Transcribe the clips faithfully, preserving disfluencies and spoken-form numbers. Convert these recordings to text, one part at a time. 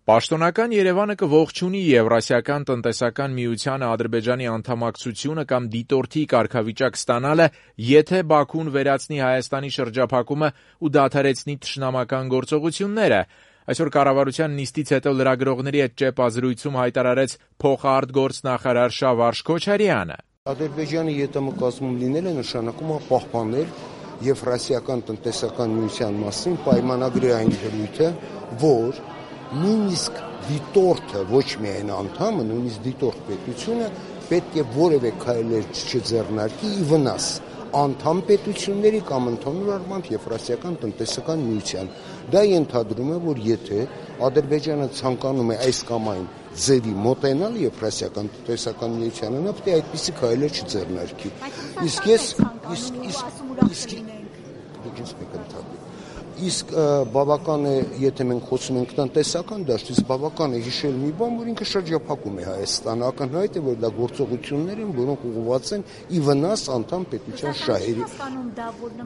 Պաշտոնական Երևանը կողջունի Եվրասիական տնտեսական միությանը Ադրբեջանի անդամակցությունը կամ դիտորդի կարգավիճակ ստանալը, եթե Բաքուն վերացնի Հայաստանի շրջափակումը ու դադարեցնի թշնամական գործողությունները։ Այսօր կառավարության նիստից հետո լրագրողների հետ ճեպազրույցում հայտարարեց փոխարտգործնախարար Շավարշ Քոչարյանը։ Ադրբեջանի ԵՏՄ կազմում լինելը նշանակում է պահպանել Եվրասիական տնտեսական միության մասին պայմանագրի այն դրույթը, որ նույնիսկ դիտորդը, ոչ միայն անդամը, նույնիսկ դիտորդ պետությունը պետք է որևէ քայլեր չձեռնարկի ի վնաս անդամ պետությունների կամ ընդհանուր առմամբ Եվրասիական տնտեսական միության։ Դա ենթադրում է, որ եթե Ադրբեջանը ցանկանում է այս կամ այն ձևի մոտենալ Եվրասիական տնտեսական միությանը, նա պետք է այդպիսի քայլեր չձեռնարկի։ Իսկ ես իսկ Իսկ բավական է, եթե մենք խոսում ենք տնտեսական դաշտից, բավական է հիշել մի բան, որ ինքը շրջափակում է Հայաստանը, ակնհայտ է, որ դա գործողություններ են, որոնք ուղղված են ի վնաս անդամ պետության շահերի։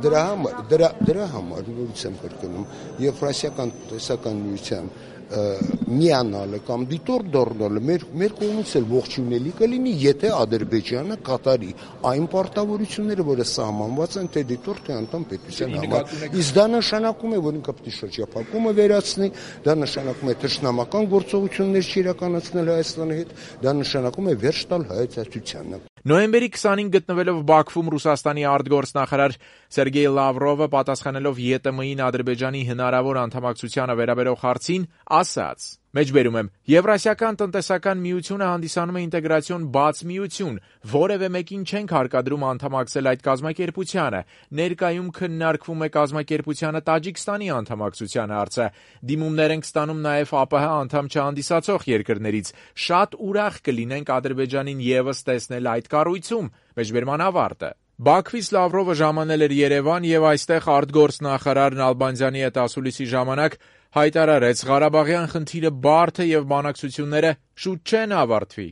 Դրա համար, դրա, դրա համար նորից եմ կրկնում, Եվրասիական տնտեսական միության միանալը կամ դիտորդ դառնալը մեր մեր կողմից էլ ողջունելի կլինի, եթե Ադրբեջանը կատարի այն պարտավորությունները, որը սահմանված են թե դիտորդ թե անդամ պետության համար։ Իսկ դա նշանակում է, որ ինքը պետք է շրջափակումը վերացնի, դա նշանակում է թշնամական գործողություններ չիրականացնել Հայաստանի հետ, դա նշանակում է վերջ տալ հայեցակցությանը։ Նոյեմբերի քսանին գտնվելով Բաքվում Ռուսաստանի արտգործնախարար Սերգեյ Լավրովը պատասխանելով ԵՏՄ-ին Ադրբեջանի հնարավոր անդամակցությանը վերաբերող հարցին ասաց. Մեջբերում եմ, Եվրասիական տնտեսական միությունը հանդիսանում է ինտեգրացիոն բաց միություն, որևէ մեկին չենք հարկադրում անդամակցել այդ կազմակերպությանը, ներկայում քննարկվում է կազմակերպությանը Տաջիկստանի անդամակցության հարցը, դիմումներ ենք ստանում նաև ԱՊՀ անդամ չհանդիսացող երկրներից, շատ ուրախ կլինենք Ադրբեջանին ևս տեսնել այդ կառույցում, մեջբերման ավարտը։ Բաքվից Լավրովը ժամանել էր Երևան եւ այստեղ արտգործնախարար Նալբանդյանի հետ ասուլիսի ժամանակ հայտարարեց Ղարաբաղյան խնդիրը բարդ է եւ բանակցությունները շուտ չեն ավարտվի։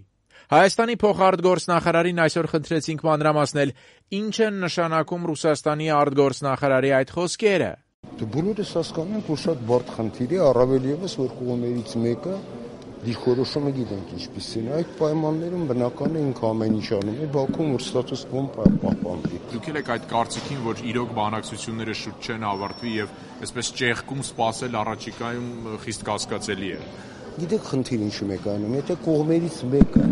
Հայաստանի փոխարտգործնախարարին այսօր խնդրեցինք մանրամասնել, ինչ են նշանակում Ռուսաստանի արտգործնախարարի այդ խոսքերը։ Դե բոլորս հասկանում ենք, որ շատ բարդ խնդիր է, առավել եւս որ կողմերից մեկը դիրքորոշումը գիտենք ինչպիսին է, այդ պայմաններում բնական է ինքը ամեն ինչ անում է Բաքվում, որ ստատուս կվո պահպանվի։ Դուք եք այդ կարծիքին, որ իրոք բանակցությունները շուտ չեն ավարտվի եւ այսպես ճեղքում սпасել առաջիկայում խիստ կասկածելի է։ Գիտեք խնդիր ինչու մեկ անում, եթե կողմերից մեկը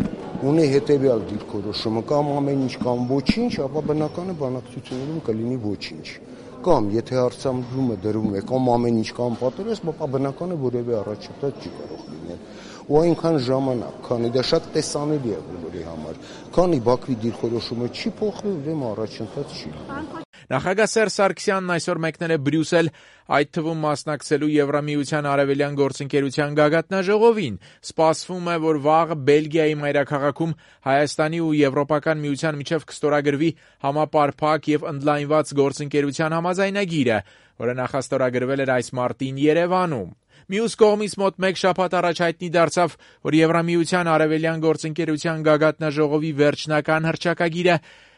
ունի հետեւյալ դիրքորոշումը կամ ամեն ինչ կամ ոչինչ, ապա բնական է բանակցություններում կլինի ոչինչ։ Կամ եթե հարցադրումը դրվում է կամ ամեն ինչ կամ պատերազմ, ապա բնական է որևէ առաջընթաց չի կարող լինել։ Ու այնքան ժամանակ, քանի դա շատ տեսանելի է բոլորի համար, քանի Բաքվի դիրքորոշումը չի փոխվել, ուրեմն առաջընթաց չի լինի։ Նախագահ Սերժ Սարգսյանն այսօր մեկնել է Բրյուսել, այդ թվում մասնակցելու Եվրամիության արևելյան գործընկերության գագաթնաժողովին։ Սպասվում է, որ վաղը Բելգիայի մայրաքաղաքում Հայաստանի ու Եվրոպական միության միջև կստորագրվի համապարփակ եւ ընդլայնված գործընկերության համաձայնագիրը, որը նախաստորագրվել էր այս մարտին Երևանում։ Մյուս կողմից մոտ մեկ շաբաթ առաջ հայտնի դարձավ, որ Եվրամիության արևելյան գործընկերության գագաթնաժողովի վերջնական հռչակագիրը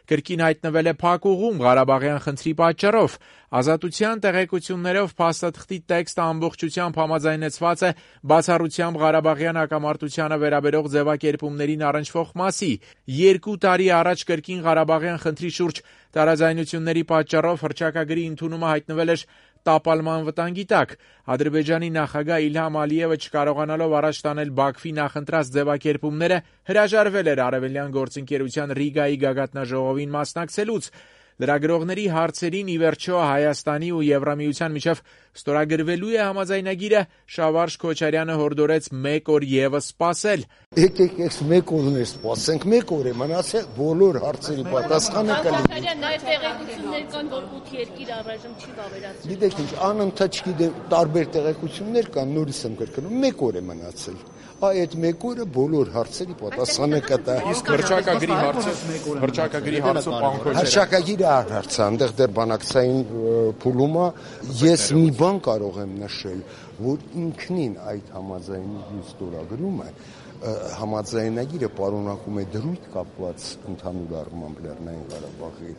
կրկին հայտնվել է փակուղում Ղարաբաղյան խնդրի պատճառով։ Ազատության տեղեկություններով փաստաթղթի տեքստը ամբողջությամբ համաձայնեցված է բացառությամբ Ղարաբաղյան հակամարտությանը վերաբերող ձևակերպումներին առնչվող մասի։ Երկու տարի առաջ կրկին Ղարաբաղյան խնդրի շուրջ տարաձայնությունների պատճառով հռչակագրի ընդունումը հայտնվել էր տապալման վտանգի տակ։ Ադրբեջանի նախագահ Իլհամ Ալիևը չկարողանալով առաջ տանել Բաքվի նախընտրած ձևակերպումները հրաժարվել էր արևելյան գործընկերության Ռիգայի գագաթնաժողովին մասնակցելուց։ Լրագրողների հարցերին ի վերջո Հայաստանի ու Եվրամիության միջև ստորագրվելու է համաձայնագիրը, Շավարշ Քոչարյանը հորդորեց մեկ օր եւս սպասել։ Եկեք այս մեկ օրն է սպասենք, մեկ օր է մնացել, բոլոր հարցերի պատասխանը կլինի։ Նաև տեղեկություններ կան, որ ութ երկիր առայժմ չի վավերացրել։ Գիտեք ինչ, անընդհատ չգիտեմ, տարբեր տեղեկություններ կան, նորից եմ կրկնում, մեկ օր է մնացել։ Այդ մեկ օրը բոլոր հարցերի պատասխանը կտա։ Իսկ հռչակագրի հարցը, հռչակագրի հարցը պարոն Քոչարյան։ Հռչակագիրը հարց է, այնտեղ դեռ բանակցային փուլում է։ Ես մի բան կարող եմ նշել, որ ինքնին այդ համաձայնագիրի ստորագրումը համաձայնագիրը պարունակում է դրույթ կապված ընդհանուր առմամբ Լեռնային Ղարաբաղի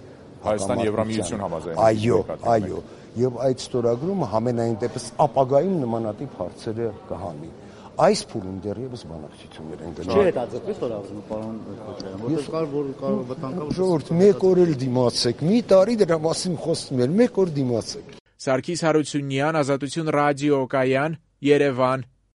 Հայաստանի Եվրամիություն համաձայնագիրը։ Այո, այո, եւ այդ ստորագրումը համենայն դեպս ապագայում նմանատիպ հարցերը կհանի։ այս փուլում դեռևս բանակցություններ են գնում։ Չի հետաձգվեց որ ասում պարոն Քոչարյան, որտեղ կար որ կարող վտանգավոր։ Ժողովուրդ, մեկ օր էլ դիմացեք, մի տարի դրա մասին խոսում էր, մեկ օր դիմացեք։ Սարգիս Հարությունյան, Ազատություն ռադիոկայան, Երևան։